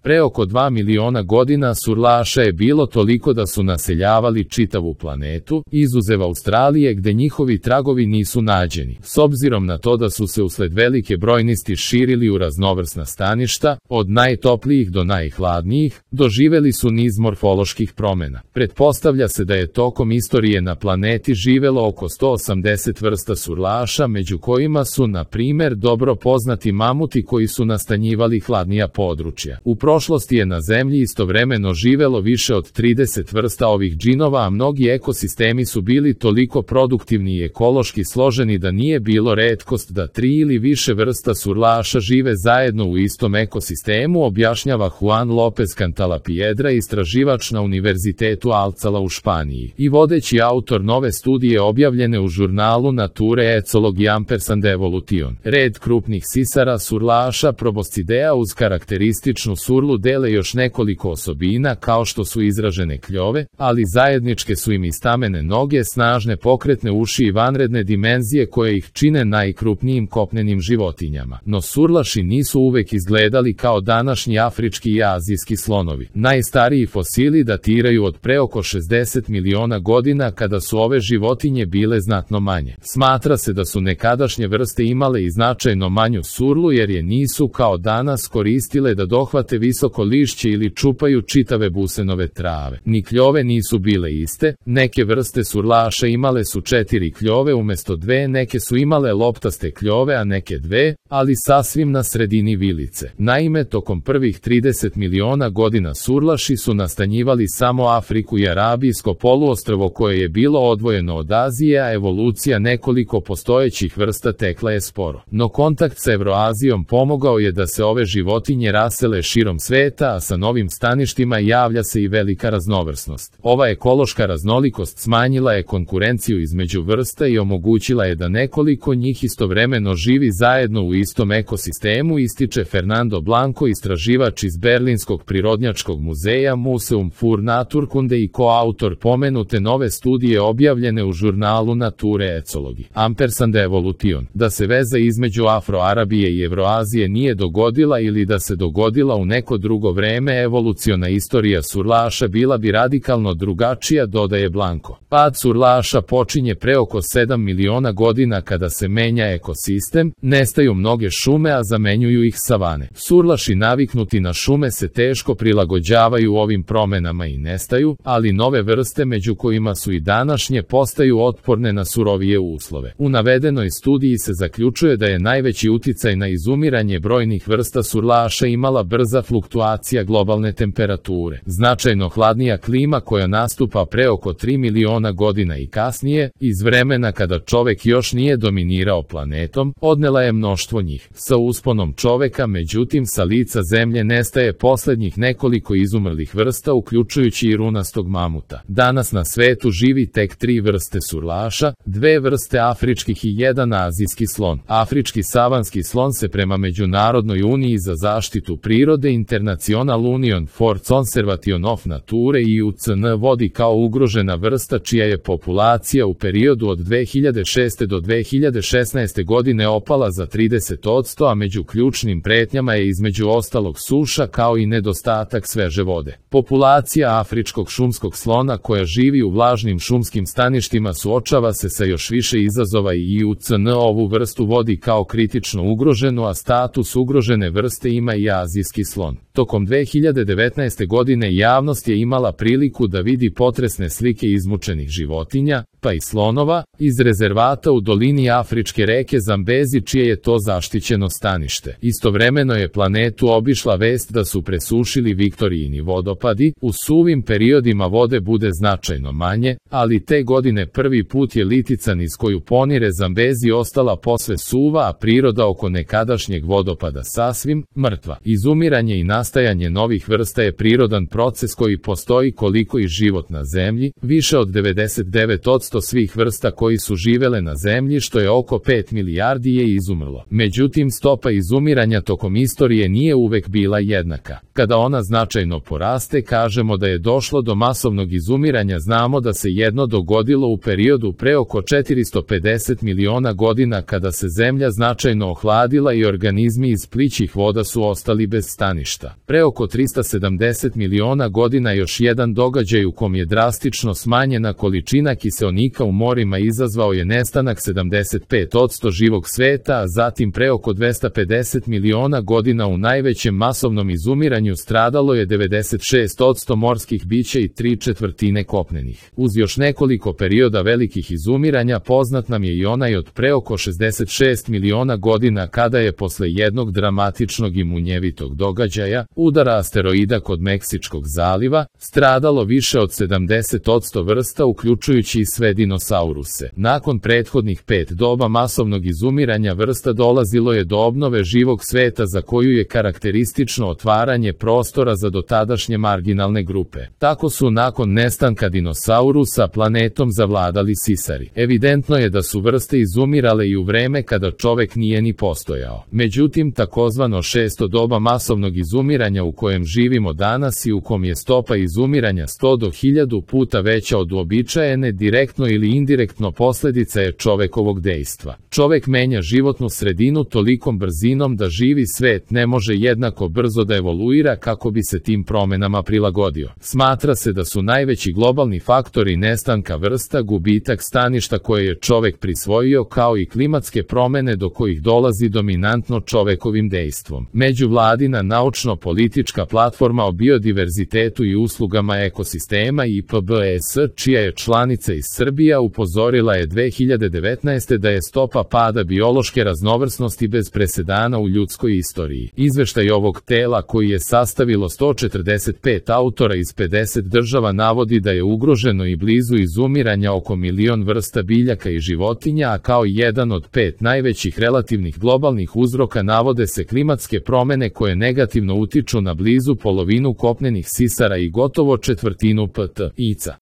Pre oko 2 miliona godina surlaša je bilo toliko da su naseljavali čitavu planetu, izuzev Australije gde njihovi tragovi nisu nađeni. S obzirom na to da su se usled velike brojnosti širili u raznovrsna staništa, od najtoplijih do najhladnijih, doživeli su niz morfoloških promena. Pretpostavlja se da je tokom istorije na planeti živelo oko 180 vrsta surlaša, među kojima su, na primer, dobro poznati mamuti koji su nastanjivali hladnija područja. U prošlosti je na Zemlji istovremeno živelo više od 30 vrsta ovih džinova, a mnogi ekosistemi su bili toliko produktivni i ekološki složeni da nije bilo retkost da 3 ili više vrsta surlaša žive zajedno u istom ekosistemu, objašnjava Juan López Cantalapiedra, istraživač na Univerzitetu Alcalá u Španiji i vodeći autor nove studije objavljene u žurnalu Nature Ecology Ampersand Evolution. Red krupnih sisara surlaša Proboscidea uz karakterističnu surlu dele još nekoliko osobina kao što su izražene kljove, ali zajedničke su im i stamene noge, snažne pokretne uši i vanredne dimenzije koje ih čine najkrupnijim kopnenim životinjama. No surlaši nisu uvek izgledali kao današnji afrički i azijski slonovi. Najstariji fosili datiraju od pre oko 60 miliona godina kada su ove životinje bile znatno manje. Smatra se da su nekadašnje vrste imale i značajno manju surlu jer je nisu kao danas koristile da dohvate visoko lišće ili čupaju čitave busenove trave. Ni kljove nisu bile iste, neke vrste surlaša imale su 4 kljove umesto 2, neke su imale loptaste kljove a neke 2, ali sasvim na sredini vilice. Naime, tokom prvih 30 miliona godina surlaši su nastanjivali samo Afriku i Arabijsko poluostrvo koje je bilo odvojeno od Azije, a evolucija nekoliko postojećih vrsta tekla je sporo. No kontakt sa Evroazijom pomogao je da se ove životinje rasele širom sveta, a sa novim staništima javlja se i velika raznovrsnost. Ova ekološka raznolikost smanjila je konkurenciju između vrsta i omogućila je da nekoliko njih istovremeno živi zajedno u istom ekosistemu, ističe Fernando Blanco, istraživač iz Berlinskog prirodnjačkog muzeja Museum für Naturkunde i koautor pomenute nove studije objavljene u žurnalu Nature Ecology Ampersand Evolution. Da se veza između Afroarabije i Evroazije nije dogodila ili da se dogodila u neko drugo vreme, evoluciona istorija surlaša bila bi radikalno drugačija, dodaje Blanco. Pad surlaša počinje pre oko 7 miliona godina kada se menja ekosistem, nestaju mnoge šume a zamenjuju ih savane. Surlaši naviknuti na šume se teško prilagođavaju ovim promenama i nestaju, ali nove vrste među kojima su i današnje postaju otporne na surovije uslove. U navedenoj studiji se zaključuje da je najveći uticaj na izumiranje brojnih vrsta surlaša imala brza fluktuacija globalne temperature. Značajno hladnija klima koja nastupa pre oko 3 miliona godina i kasnije, iz vremena kada čovek još nije dominirao planetom, odnela je mnoštvo njih. Sa usponom čoveka, međutim, sa lica zemlje nestaje poslednjih nekoliko izumrlih vrsta, uključujući i runastog mamuta. Danas na svetu živi tek 3 vrste surlaša, 2 vrste afričkih i 1 azijski slon. Afrički savanski slon se prema Međunarodnoj uniji za zaštitu prirode International Union for Conservation of Nature IUCN vodi kao ugrožena vrsta čija je populacija u periodu od 2006. do 2016. godine opala za 30%, a među ključnim pretnjama je između ostalog suša kao i nedostatak sveže vode. Populacija afričkog šumskog slona koja živi u vlažnim šumskim staništima suočava se sa još više izazova i IUCN ovu vrstu vodi kao kritično ugroženu, a status ugrožene vrste ima i azijski slon. Tokom 2019. godine javnost je imala priliku da vidi potresne slike izmučenih životinja, pa i slonova, iz rezervata u dolini afričke reke Zambezi čije je to zaštićeno stanište. Istovremeno je planetu obišla vest da su presušili Viktorijini vodopadi, u suvim periodima vode bude značajno manje, ali te godine prvi put je Litican iz koju ponire Zambezi ostala posve suva, a priroda oko nekadašnjeg vodopada sasvim mrtva. Izumiranje i nastajanje novih vrsta je prirodan proces koji postoji koliko i život na Zemlji, više od 99% svih vrsta koji su živele na Zemlji, što je oko 5 milijardi, je izumrlo. Međutim, stopa izumiranja tokom istorije nije uvek bila jednaka. Kada ona značajno poraste, kažemo da je došlo do masovnog izumiranja. Znamo da se jedno dogodilo u periodu pre oko 450 miliona godina kada se Zemlja značajno ohladila i organizmi iz plićih voda su ostali bez staništa. perioda. Pre oko 370 miliona godina još jedan događaj u kom je drastično smanjena količina kiseonika u morima izazvao je nestanak 75% živog sveta, a zatim pre oko 250 miliona godina u najvećem masovnom izumiranju stradalo je 96% morskih bića i 3/4 kopnenih. Uz još nekoliko perioda velikih izumiranja poznat nam je i onaj od pre oko 66 miliona godina kada je posle jednog dramatičnog i munjevitog događaja, udara asteroida kod Meksičkog zaliva, stradalo više od 70% vrsta uključujući i sve dinosauruse. Nakon prethodnih 5 doba masovnog izumiranja vrsta dolazilo je do obnove živog sveta za koju je karakteristično otvaranje prostora za dotadašnje marginalne grupe. Tako su nakon nestanka dinosaurusa planetom zavladali sisari. Evidentno je da su vrste izumirale i u vreme kada čovek nije ni postojao. Međutim, takozvano 6. doba masovnog izumiranja u kojem živimo danas i u kom je stopa izumiranja 100 do 1000 puta veća od uobičajene, direktno ili indirektno posledica je čovekovog dejstva. Čovek menja životnu sredinu tolikom brzinom da živi svet ne može jednako brzo da evoluira kako bi se tim promenama prilagodio. Smatra se da su najveći globalni faktori nestanka vrsta gubitak staništa koje je čovek prisvojio kao i klimatske promene do kojih dolazi dominantno čovekovim dejstvom. Međuvladina naučno-politička platforma o biodiverzitetu i uslugama ekosistema IPBES, čija je članica iz Srbija, upozorila je 2019. da je stopa pada biološke raznovrsnosti bez presedana u ljudskoj istoriji. Izveštaj ovog tela, koji je sastavilo 145 autora iz 50 država, navodi da je ugroženo i blizu izumiranja oko 1.000.000 vrsta biljaka i životinja, a kao jedan od 5 najvećih relativnih globalnih uzroka navode se klimatske promene koje negativno utiču na blizu polovinu kopnenih sisara i gotovo 1/4 ptica.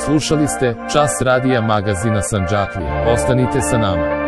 Slušali ste Čas radija magazina Sandžaklija. Ostanite sa nama.